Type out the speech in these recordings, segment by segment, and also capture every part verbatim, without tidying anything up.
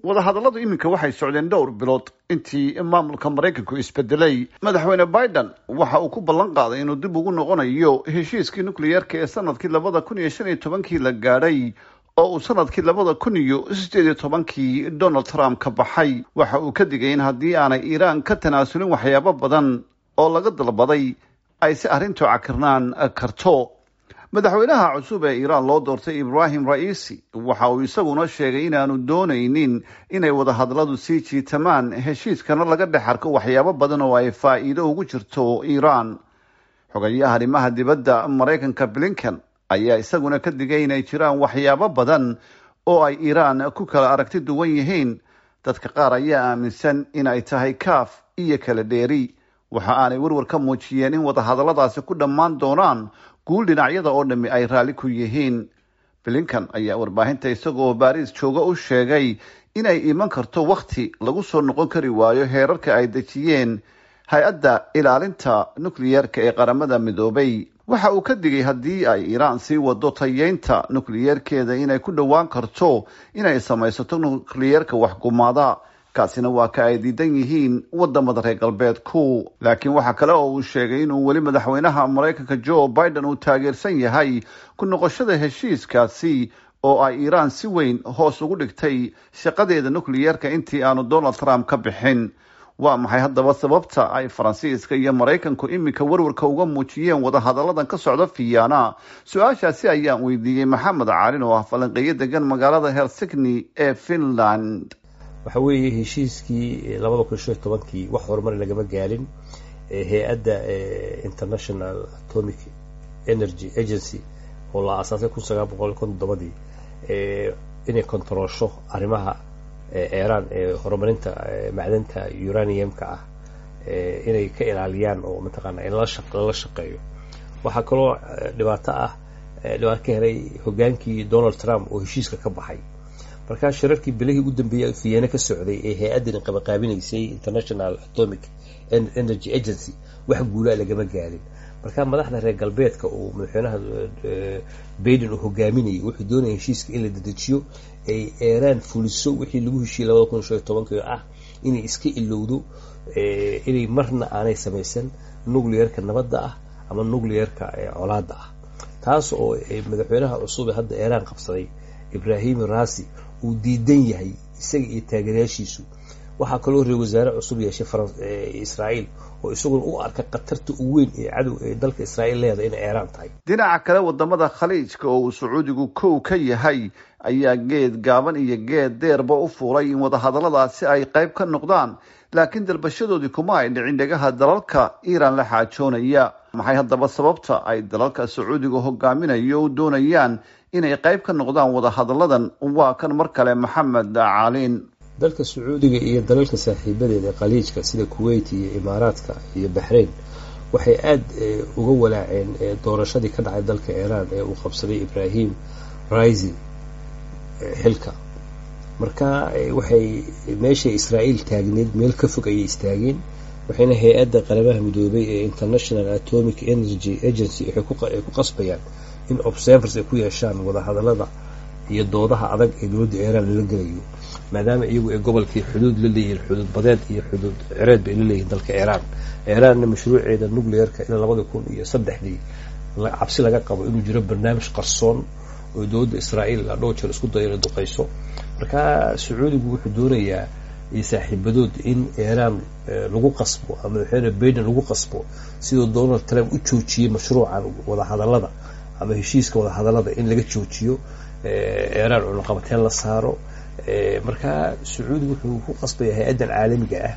Wadahadalladu iminka waxay socdeen dhowr bilood intii maamulka Maraykanku isbedelay. Madaxweyne Biden waxa uu ku ballan qaaday inuu dib ugu noqonayo heshiiskii nukliyeerka ee sanadkii labada kun iyo shan iyo tobankii la gaadhay, oo uu sanadkii labada kun iyo sideed iyo tobankii Donald Trump ka baxay. Waxa uu ka digay in haddii aanay Iiraan ka tanaasulin waxyaabo badan oo laga dalbaday, ay si arrintu cakirnaan karto. Madaxweynaha cusub ee Iiraan loo doortay, Ibrahim Raisi, waxa uu isaguna sheegay inaanu doonaynin inay wadahadalladu sii jiitamaan, heshiiskana laga dhex arko waxyaabo badan oo ay faa'iido ugu jirto Iiraan. Xogayaha arrimaha dibadda Maraykanka Blinken ayaa isaguna ka digay inay jiraan waxyaabo badan oo ay Iiraan ku kala aragti duwan yihiin. Dadka qaar ayaa aaminsan in ay tahay kaaf iyo kala dheeri. Waxa aanay warwar ka muujiyeen in wadahadalladaasi ku dhammaan doonaan guul dhinacyada oo dhammi ay raalli ku yihiin. Blinken ayaa warbaahinta isagoo Baariis jooga u sheegay inay iman karto wakhti lagu soo noqon kari waayo heerarka ay dejiyeen hay-adda ilaalinta nukliyeerka ee Qaramada Midoobay. Waxa uu ka digay haddii ay Iiraan sii wado tayeynta nukliyeerkeeda inay ku dhowaan karto inay samaysato nukliyeerka waxgumaada, kaasina waa ka ay diidan yihiin wadamada reer galbeedku. Laakiin waxa kale oo uu sheegay inuu weli madaxweynaha Maraykanka Joe Biden uu taageersan yahay ku noqoshada heshiiskaasi, oo ay Iiraan si weyn hoos ugu dhigtay shaqadeeda nukliyeerka intii aanu Donald Trump ka bixin. Waa maxay haddaba sababta ay Faransiiska iyo Maraykanku iminka warwarka uga muujiyeen wadahadalladan ka socda Fiyaana? Su-aashaasi ayaan weydiiyey Maxamed Caalin oo ah falanqeeyo degan magaalada Helsigni ee Finland. Waxa weeye, heshiiskii labada kun shan iyo tobankii wax horumar lagama gaarin. Hay-adda International Atomic Energy Agency oo la aasaasay kun sagaal boqol konton todobadii inay kontaroosho arrimaha Iiraan ee horumarinta macdanta uranium-ka ah, inay ka ilaaliyaan oo mataqaana in lala shaqeeyo. Waxaa kaloo dhibaato ah dhibaato ka helay hogaankii Donald Trump oo heshiiska ka baxay. Markaa shirarkii bilihii u dambeeyay Vienna ka socday ee hay-addani qabaqaabinaysay, International Atomic Energy Agency, wax guulaa lagama gaarin. Marka madaxda reer galbeedka uu madaxweynaha Biden uu hogaaminayay wuxuu doonaya heshiiska in la dedejiyo, ay Iiraan fuliso wixii lagu heshiiyey labada kun shan iyo tobankii, oo ah inay iska ilowdo inay marna aanay samaysan nuclearka nabadda ah ama nuclearka colaadda ah, taas oo madaxweynaha cusub ee hadda Iiraan qabsaday, Ibrahim Raisi, uu diidan yahay isaga iyo taageerayaashiisu. Waxaa kaloo reer wasaare cusub yeeshay Israa'iil oo isaguna u arka khatarta ugu weyn ee cadow ee dalka Israa'iil leedahay inay Iiraan tahay. Dhinaca kale, wadamada Khaliijka oo uu Sacuudigu kow ka yahay ayaa geed gaaban iyo geed deerba u fuulay in wadahadalladaasi ay qayb ka noqdaan, laakiin dalbashadoodii kuma ay dhicin dhegaha dalalka Iiraan la xaajoonaya. Maxay haddaba sababta ay dalalka Sacuudiga hogaaminayo u doonayaan inay qayb ka noqdaan wadahadalladan? Waa kan mar kale Maxamed Caalin. Dalka Sacuudiga iyo dalalka saaxiibadeeda ee Khaliijka sida Kuwait iyo Imaaraadka iyo Baxrain waxay aada uga walaaceen doorashadii ka dhacay dalka Iiraan ee uu qabsaday Ibrahim Raisi xilka. Marka waxay meeshay Israa'iil taagneed meel ka fog ayay istaageen, waxayna hay-adda Qaramaha Midoobay ee International Atomic Energy Agency waxay ku qasbayaan in observers ay ku yeeshaan wadahadallada iyo doodaha adag ee dowladda Iiraan lala gelayo, maadaama iyagu ay gobolkii xuduud la leeyihiin, xuduud badeed iyo xuduud cireed bay la leeyihin dalka Iiraan. Iiraanna mashruuceeda nuclearka ilaa labada kun iyo saddexdii cabsi laga qabo inuu jiro barnaamij qarsoon oo dowladda Israa'iil dhowr jeer isku dayo inay duqeyso. Marka Sacuudigu wuxuu doonayaa iyo saaxiibadood in Iiraan lagu qasbo ama madaxweyne Biden lagu qasbo, siduu Donald Trump u joojiyey mashruucan wadahadallada ama heshiiska wadahadallada, in laga joojiyo Iiraan, cunaqabateen la saaro. Marka Sacuudigu wuxuu ku qasbaya hay-addan caalamiga ah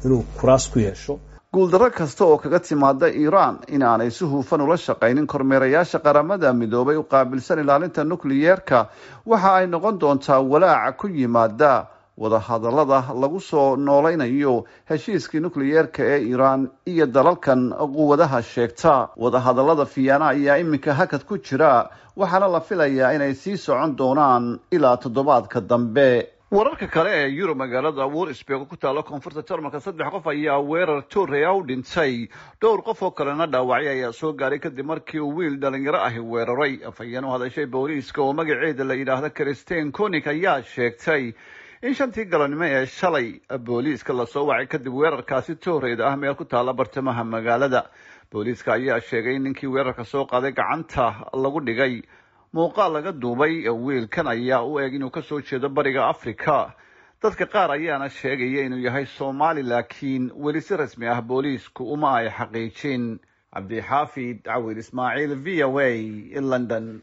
inuu kuraas ku yeesho. Guuldarro kasta oo kaga timaada Iiraan in aanay si hufan ula shaqaynin kormeerayaasha Qaramada Midoobay u qaabilsan ilaalinta nukliyeerka waxa ay noqon doontaa walaaca ku yimaada wadahadallada lagu soo noolaynayo heshiiskii nukliyeerka ee Iiraan iyo dalalkan quwadaha sheegta. Wadahadallada Fiyaana ayaa iminka hakad ku jira, waxaana la filayaa inay sii socon doonaan ilaa toddobaadka dambe. Wararka kale ee Yurub, magaalada Wursburg ku taalo koonfurta Jarmalka, saddex qof ayaa weerar toorey u dhintay, dhowr qof oo kalena dhaawacay ayaa soo gaaray kadib markii uu wiil dhalinyaro ahi weeraray. Afhayeen u hadashay booliiska oo magaceeda la yidhaahdo Christine Konig ayaa sheegtay in shantii galabnimo ee shalay booliiska lasoo wacay kadib weerarkaasi tooreyda ah meel ku taala bartamaha magaalada. Booliiska ayaa sheegay in ninkii weerarka soo qaaday gacanta lagu dhigay. Muuqaal laga duubay wiilkan ayaa u eg inuu kasoo jeedo Bariga Africa, dadka qaar ayaana sheegaya inuu yahay Soomaali, laakiin weli si rasmi ah booliisku uma ay xaqiijin. Cabdixaafid Cawil Ismaaciil, V O A, London.